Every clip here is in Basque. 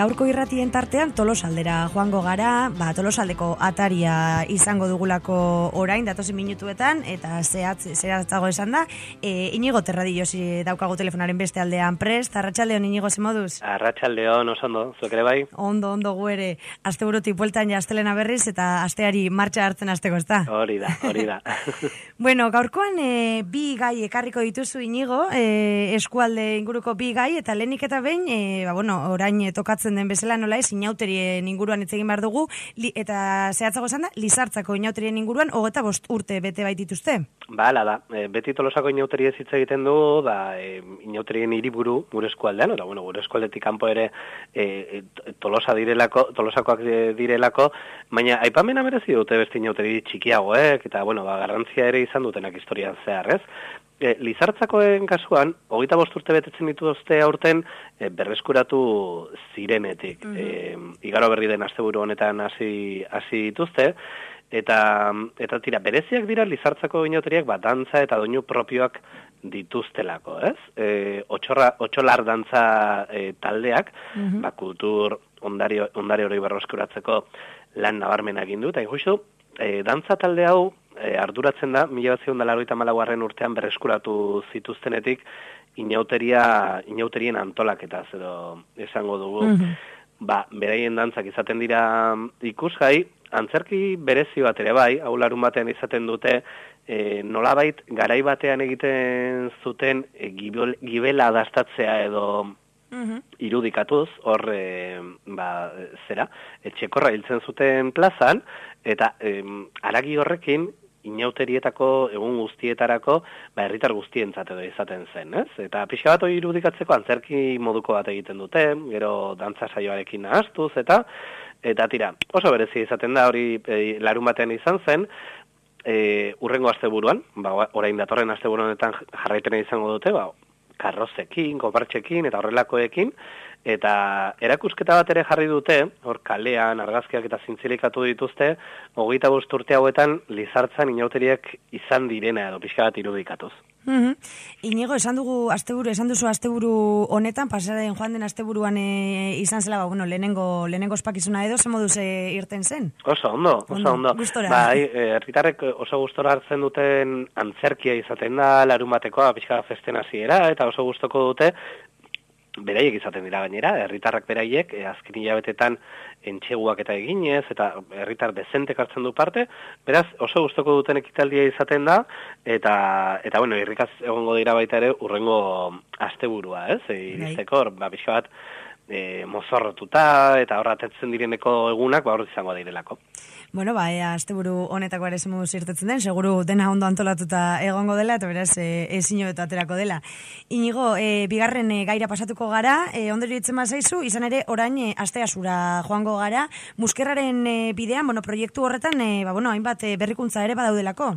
gaurko irratien tartean Tolosaldera joango gara, Tolosaldeko ataria izango dugulako orain, datozen minutuetan, eta zehatzago esan da, Inigo Terradillosi daukagu telefonaren beste aldean prest. Arratsaldeon, Inigo, ze moduz? Arratsaldeon, oso ondo, zuek ere bai? Ondo gu ere, asteburutik bueltan ja astelena berriz, eta asteari martxa hartzen hasteko, ezta? Hori da. Bueno, gaurkoan bi gai ekarriko dituzu, Inigo, eskualde inguruko bi gai, eta lehenik eta behin, orain tokatzen den bezala nola ez, inauterien inguruan hitz egin behar dugu, eta zehatzago esan da, Lizartzako inauterien inguruan 25 urte bete baitituzte. Hala da, beti Tolosako inauteriez hitz egiten dugu, inauterien hiriburu gure eskualdean, eta gure eskualdetik kanpo ere Tolosakoak direlako, baina aipamena merezi dute beste inauteri txikiagoek, eta garrantzia ere izan dutenak historian zehar, ez? Lizartzakoen kasuan, 25 urte betetzen dituzte aurten berreskuratu zirenetik. Igaro berri den asteburu honetan hasi dituzte, eta tira, bereziak dira Lizartzako inauteriak dantza eta doinu propioak dituztelako, ez? Otxolar dantza taldeak, kultur ondare hori berreskuratzeko lan nabarmena egin du, eta ikustu, dantza talde hau arduratzen da, 1984 urtean berreskuratu zituztenetik inauterien antolaketa edo esango dugu. Beraien dantzak izaten dira ikusgai, antzerki berezi bat ere bai, hau larun batean izaten dute, nolabait garai batean egiten zuten gibela dastatzea edo irudikatuz, hor, etxekorra hiltzen zuten plazan, eta haragi horrekin, inauterietako egun guztietarako, herritar guztientzat edo izaten zen, ez? Eta pixka bat hori irudikatzeko antzerki moduko bat egiten dute, gero dantza saioarekin nahastuz, eta tira, oso berezi izaten da, hori larun batean izan zen, urrengo asteburuan, orain datorren asteburuanetan jarraipena izango dute, karrozekin, kopartxekin eta horrelakoekin, eta erakusketa bat ere jarri dute, hor kalean, argazkiak eta zintzilikatu dituzte, 25 urte hauetan Lizartzan inauteriak izan direna edo pixka bat irudikatuz. Inigo, esan duzu asteburu honetan, pasaren joan den asteburuan izan zela, lehenengo ospakizuna edo, ze moduz irten zen? Oso ondo. Gustora. Herritarrek oso gustora hartzen duten antzerkia izaten da, larun batekoa, pixka festen hasiera, eta oso gustoko dute, beraiek izaten dira gainera, herritarrak beraiek, azken hilabetetan entxeguak eta eginez, eta herritar dezentek hartzen du parte, beraz, oso gustoko duten ekitaldia izaten da, eta irrikaz egongo dira baita ere urrengo asteburua, ez? Iristeko, pixka bat, mozorrotuta, eta horratetzen direneko egunak, hor izango direlako. Asteburu honetako ere zemuduz irtetzen den, seguru dena ondo antolatuta egongo dela, eta beraz, ezin hobeto aterako dela. Inigo, bigarren gaira pasatuko gara, ondori ditzen bazaizu, izan ere orain asteazura joango gara, Muskerraren bidean, proiektu horretan, hainbat berrikuntza ere badaudelako.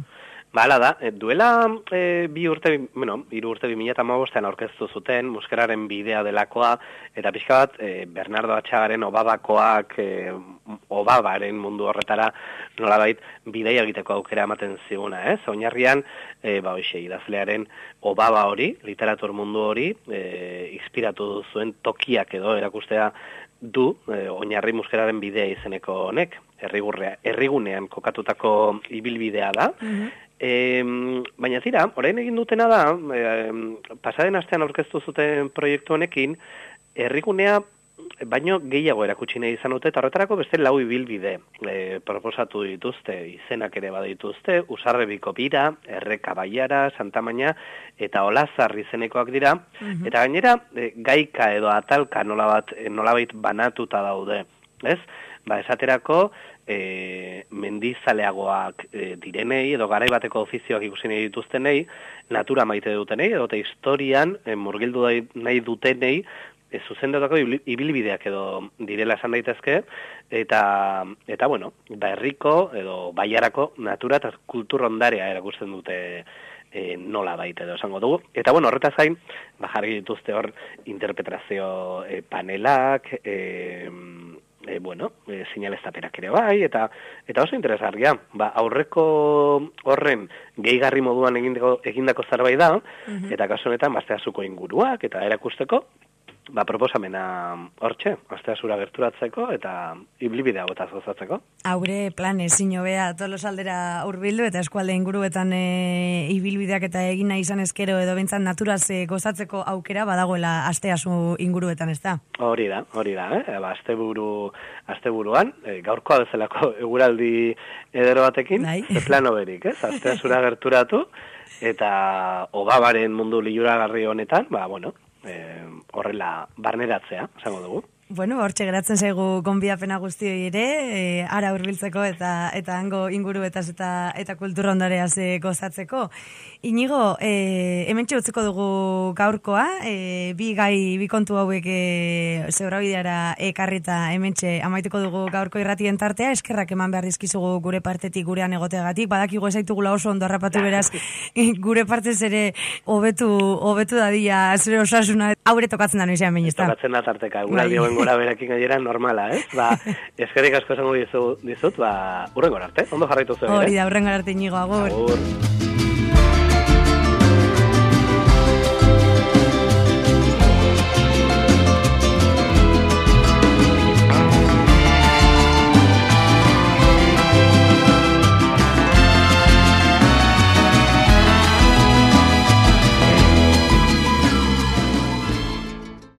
Hala da, duela 3 urte 2015an aurkeztu zuten Muskerraren bidea delakoa, eta pixka bat Bernardo Atxagaren Obabakoak Obabaren mundu horretara nolabait bidea egiteko aukera ematen ziguna, ez? Oinarrian, idazlearen Obaba hori, literatur mundu hori, inspiratu zuen tokiak edo erakustea du, oinarri Muskerraren bidea izeneko honek, herrigunean kokatutako ibilbidea da. Baina tira, orain egin dutena da, pasaden astean aurkeztu zuten proiektu honekin, herrigunea baino gehiago erakutsi nahi izan dute, eta horretarako beste 4 ibilbide proposatu dituzte, izenak ere badituzte, Usarrebiko bira, Erreka Baiara, Santamaina, eta Olazar izenekoak dira, eta gainera gaika edo atalka nolabait banatuta daude, ez? Esaterako, mendizaleagoak direnei, edo garai bateko ofizioak ikusi nahi dituztenei, natura maite dutenei, edo historian murgildu nahi dutenei, zuzendutako ibilbideak edo direla esan daitezke, eta herriko edo baiarako natura eta kultur ondarea erakusten dute nola baita edo esango dugu. Eta horretaz gain, jarri dituzte hor interpretazio panelak, sinaleztapenak ere bai, eta oso interesgarria. Aurreko horren gehigarri moduan egindako zerbait da, eta kasu honetan Asteazuko inguruak eta erakusteko, proposamena hortxe, Asteazura gerturatzeko eta ibilbidea gotaz gozatzeko. Haure plan ezin hobea Tolosaldera hurbildu eta eskualde inguruetan ibilbideak eta egin nahi izan ezkero edo behintzat naturaz gozatzeko aukera badagoela Asteazu inguruetan, ez da? Hori da, asteburuan, gaurkoa bezalako eguraldi edero batekin, ze plano berik, ez? Asteazura gerturatu eta obabaren mundu liuragarri honetan, horrela barneratzea, esango dugu. Bueno, hortxe geratzen zaigu gonbidapena guztioi ere, ara hurbiltzeko eta hango inguruetaz eta kultura ondareaz gozatzeko. Inigo, hementxe utziko dugu gaurkoa, bi kontu hauek zebrabideara ekarrita hementxe amaituko dugu gaurko irratien tartea, eskerrak eman behar dizkizugu gure partetik gurean egoteagatik, badakigu ezaitugula oso ondo harrapatu beraz, gure partez ere hobetu dadia zure osasuna, haure tokatzen da noizean behin, ez da? Tokatzen da tarteka, eguraldi hoben gora berakin gainera normala, ez? Eskerrik asko esango dizut, urrengor arte, ondo jarraitu zuen. Hori da, urrengor arte, Inigo, agur.